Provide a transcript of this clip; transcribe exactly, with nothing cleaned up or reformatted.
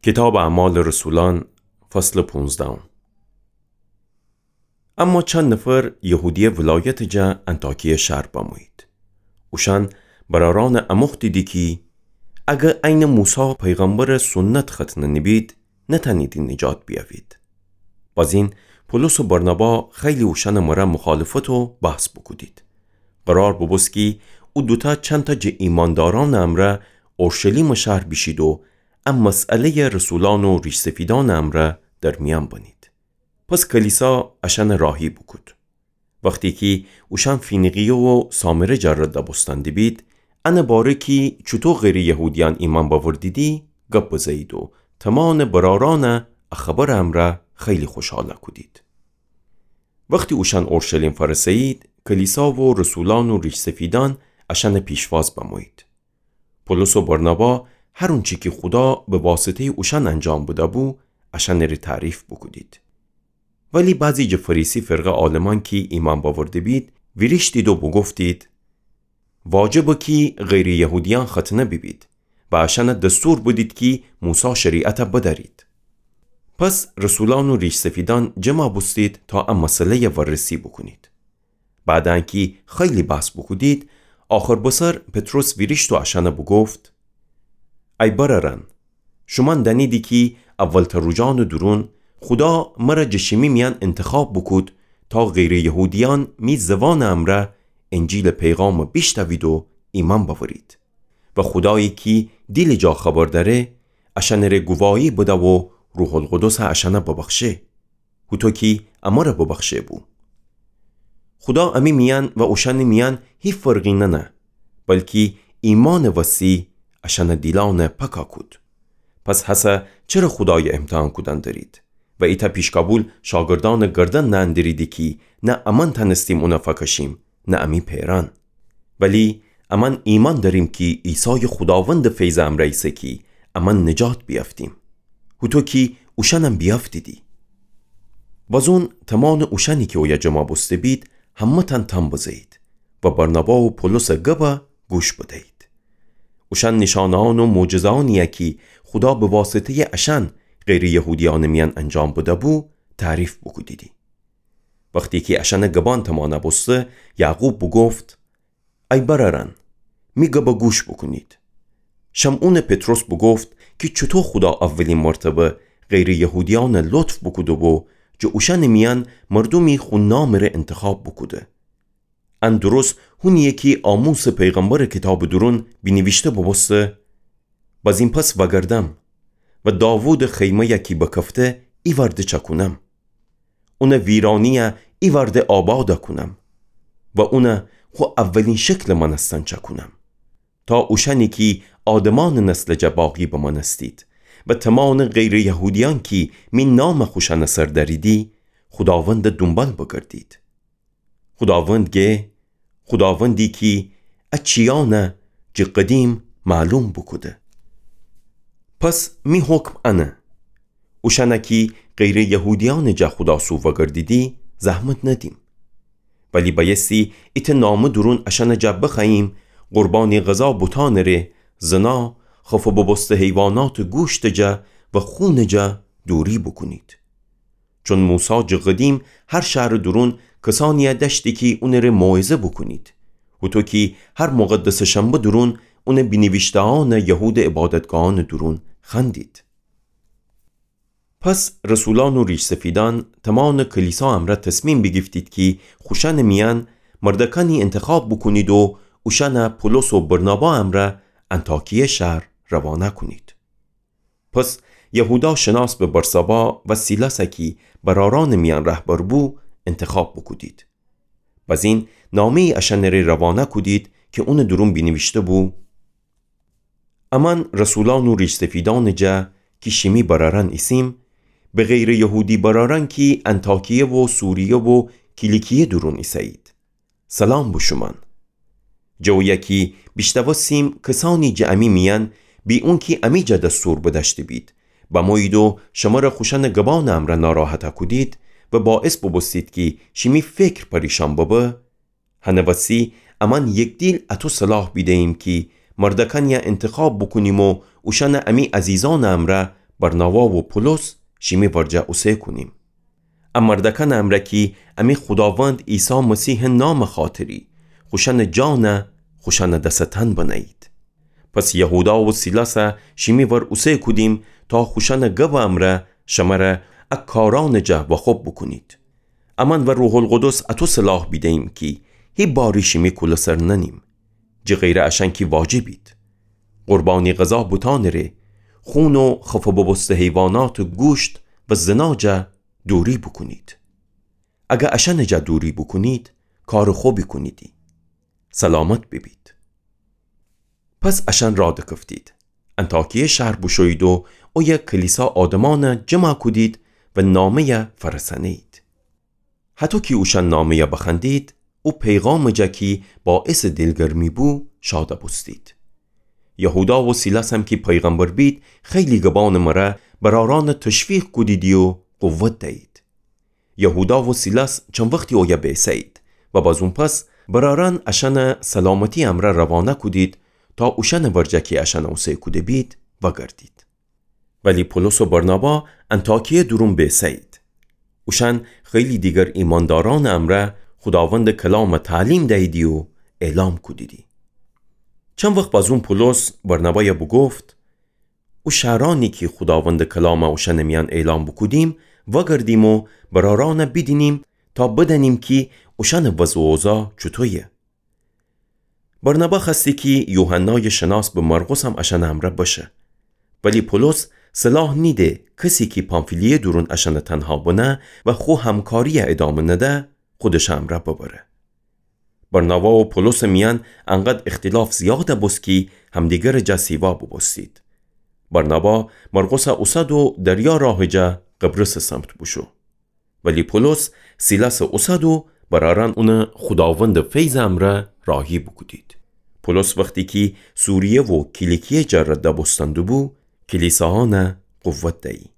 کیتابٚ اعمالٚ رسولأن، فصلٚ پونزدهم. اما چند نفر یهودیه ولایتٚ جا انطاکیه شهر بمویید. اوشأن برأرأنَ اموختیدی کی اگر عینٚ موسی پیغمبرٚ سنت ختنه نیبید، نتأنیدی نجات بیأوید. بازین پولس و برنابا خیلی اوشأنٚ مرأ مخالفت و بحث بوکودید. قرار بوبوست کی او دوتأ چندتأ جٚه ایماندارأنٚ امرأ اورشلیمٚ شهر بیشید و ا مسئله‌یَ رسولأن و ریش‌سفیدأنٚ امرأ در میأن بنید. پس کلیسا اشأنَ راهی بوکود. وختی کی اوشأن فینیقیه و سامره جا رد بوستن دیبید، انٚ باره کی چوطو غیرٚ یهودیأن ایمأن بأوردیدی، گب بزه‌یید و تومانٚ برأرأنَ ا خبرٚ امرأ خیلی خوشحال کودید. وختی اوشأن اورشلیم فأرسه‌یید، کلیسا و رسولأن و ریش‌سفیدأن اشأنٚ پیشواز بمویید. پولس و برنابا هر اونچی کی خودا به واسطه‌یٚ اوشأن انجام بده‌بو، اشأنٚره تعریف بوکودید. ولی بعضی جٚه فریسی فرقه عالمأن کی ایمأن بأورده‌بید، ویریشتید و بوگفتید: واجبه کی غیرٚ یهودیأن ختنه بیبید و اشأنَ دستور بدید کی موسی شریعتَ بدأرید. پس رسولأن و ریش‌سفیدأن جمع بوستید تا ا مسئله‌یَ وررسی بوکونید. بعد انکی خیلی بحث بوکودید، آخر بسر پطرس ویریشت و اشأنَ بوگفت: ای برأرأن، شومأن دأنیدی کی اولتأ روجأنٚ دورون خودا مرَ جٚه شیمی میأن انتخاب بوکود تا غیرٚ یهودیأن می زوانٚ امرأ انجیلٚ پیغامَ بیشنوید و ایمأن بأورید. و خودایی کی دیلٚ جا خبر دأره، اشأنٚره گواهی بده و روح‌القدسَ اشأنَ ببخشه، هوطو کی امرَ ببخشه‌بو. خودا امی میأن و اوشأنٚ میأن هی فرقی ننه، بلکی ایمأنٚ وسی اشأنٚ دیلأنَ پاکَ کود. پس هسه چره خودایَ امتحان کودن درید؟ و ایتأ پیشکابول شاگردأنٚ گردن نأندریدی کی نه امأن تأنستیم اونَ فأکشیم، نه امی پئرأن. ولی امأن ایمأن دأریم کی عیسایَ خوداوندٚ فیضٚ امرأ ایسه کی امأن نجات بیأفتیم، هوطو کی اوشأنم بیأفتیدی. بازون تومانٚ اوشأنی کی اویه جمع بوسته‌بید، همه‌تأن تأن بزه‌یید و برنابا و پولسٚ گبَ گوش بده‌یید. اوشأن نیشانه‌یأن و معجزه‌یأنی‌یَ کی خودا به واسطه‌یٚ اشأن غیرٚ یهودیأنٚ میأن انجام بده‌بو، تعریف بوکودیدی. وختی کی اشأنٚ گبأن تومانَ بوسته، یعقوب بوگفت: ای برأرأن، می گبَ گوش بوکونید. شمعونٚ پطرس بوگفت کی چوطو خودا اولین مرتبه غیرٚ یهودیأنَ لطف بوکوده‌بو، جٚه اوشأنٚ میأن مردومی خو نامٚره انتخاب بوکوده. ان درست هونی‌یه کی آموسٚ پیغمبرٚ کیتابٚ دورون بینیویشته بوبوسته: بازین پس وأگردم و داوودٚ خیمه‌یَ کی بکفته، ایوأرده چأکونم. اونٚ ویرأنی‌یَ ایوأرده آباد کونم و اونَ خو اولین شکلٚ مأنستن چأکونم، تا اوشأنی کی آدمأنٚ نسلٚ جا باقی بمأنستید و تومانٚ غیرٚ یهودیأن کی می نامَ خوشأنٚ سر دأریدی، خوداوندَ دونبال بگردید. خوداوند گه، خوداوندی کی ا چیأنَ جٚه قدیم معلوم بوکوده. پس می حکم انه: اوشأنَ کی غیرٚ یهودیأنٚ جا خودا سو وأگردیدی، زحمت ندیم. ولی بأیستی ایتأ نامه دورون اشأنٚ جا بخوأییم: قربانی غذا بتأنٚره، زنا، خفه بوبوسته حیواناتٚ گوشتٚ جا و خونٚ جا دوری بوکونید. چون موسی جٚه قدیم هر شهرٚ دورون کسأنی‌یَ دأشتی کی اونٚره موعظه بوکونید، هوطو کی هر مقدسٚ شنبه دورون اونٚ بینیویشته‌یأنَ یهودٚ عبادتگاهأنٚ دورون خوأندید. پس رسولأن و ریش‌سفیدأن تومانٚ کلیسا امرأ تصمیم بیگیفتید کی خوشأنٚ میأن مردأکأنی انتخاب بوکونید و اوشأنَ پولس و برنابا امرأ انطاکیه شهر روانه کونید. پس یهودا شناس به برسابا و سیلاسَ کی برأرأنٚ میأن رهبر بو، انتخاب بوکودید. بزین نامه‌یی اشأنٚره روانه کودید کی اونٚ دورون بینیویشته بو: امأن رسولأن و ریش‌سفیدأنٚ جا کی شیمی برأرأن ایسیم، به غیرٚ یهودی برأرأن کی انطاکیه و سوریه و کیلیکیه دورون ایسه‌یید، سلام به شومأن. جٚه اویه کی بیشنوستیم کسأنی جٚه امی میأن، بی اونکی امی جا دستور بدأشته‌بید، بمویید و شمره خوشأنٚ گبأنٚ امرأ ناراحت کودید و باعث بوبوستید کی شیمی فکر پریشأن ببه، هنٚ وسی امأن یکدیل اطو صلاح بیده‌ییم کی مردأکأنی‌یَ انتخاب بوکونیم و اوشأنَ امی عزیزأنٚ امرأ برنابا و پولس شیمی ورجه اوسه کونیم. ا مردکانٚ امرأ کی امی خوداوند عیسی مسیحٚ نامٚ خاطری خوشأنٚ جان خوشأنٚ دس تأن بنهیید. پس یهودا و سیلاسَ شیمی ور اوسه کودیم تا خوشأنٚ گبٚ امرأ شمره ا کارأنٚ جا واخوب بوکونید. امأن و روح‌القدس اَتو سلاح بیدهییم کی هی باری شیمی کولٚ سر ننیم. جٚه غیرٚ اشأن کی واجبید. قربانی غذا بوتأنٚ ره، خون و خفه بوبوسته حیواناتٚ گوشت و زنا جا دوری بوکونید. اگر اشأنٚ جا دوری بوکونید، کارٚ خوبی کونیدی. سلامت ببید. پس اشأن راه دکفتید. انطاکیه شهر بوشویید و اویه کلیسا آدمأنَ جمع کودید و نامه‌یَ فأرسأنهیید. هطو کی اوشأن نامه‌یَ بخوأندید، او پیغامٚ جا کی باعثٚ دیلگرمی بو، شادَ بوستید. یهودا و سیلاسم کی پیغمبر بید، خیلی گبأنٚ مره برأرأنَ تشویق کودیدی و قوت دیید. یهودا و سیلاس چند وختی اویه بیسهیید و بازون پس برأرأن اشأنَ سلامتی‌یٚ امرأ روانه کودید تا اوشأنٚ ورجه کی اشأنَ اوسه کوده بید وأگردید. ولی پولس و برنابا انطاکیه دورون بیسهیید. اوشأن خیلی دیگر ایمأندارأنٚ امرأ خوداوندٚ کلامَ تعلیم دییدی و اعلام کودیدی. چند وخت بازون پولس برنابایَ بوگفت: او شهرأنی کی خوداوندٚ کلامَ اوشأنٚ میأن اعلام بوکودیم، وأگردیم و برأرأنَ بیدینیم تا بدأنیم کی اوشأنٚ وضع و اوضاع چوطویه. برنابا خوأستی کی یوحنایٚ شناس به مرقسم اشأنٚ امرأ بشه. ولی پولس صلاح نیده کسی کی پامفیلیه دورون اشأنَ تنها بنه و خو همکاری‌یَ ادامه نده، خودشٚ امرأ ببره. برنابا و پولسٚ میأن انقدر اختلاف زیادَ بوست کی همدیگرٚ جا سیوا بوبوستید. برنابا مرقسَ اوسد و دریا راهٚ جا قبرسٚ سمت بوشو. ولی پولس سیلاسَ اوسد و برأرأن اونَ خوداوندٚ فیضٚ امرأ راهی بوکودید. پولس وختی کی سوریه و کیلیکیه جا رد بوستن دوبو، کلیسایأنَ قوت دیی.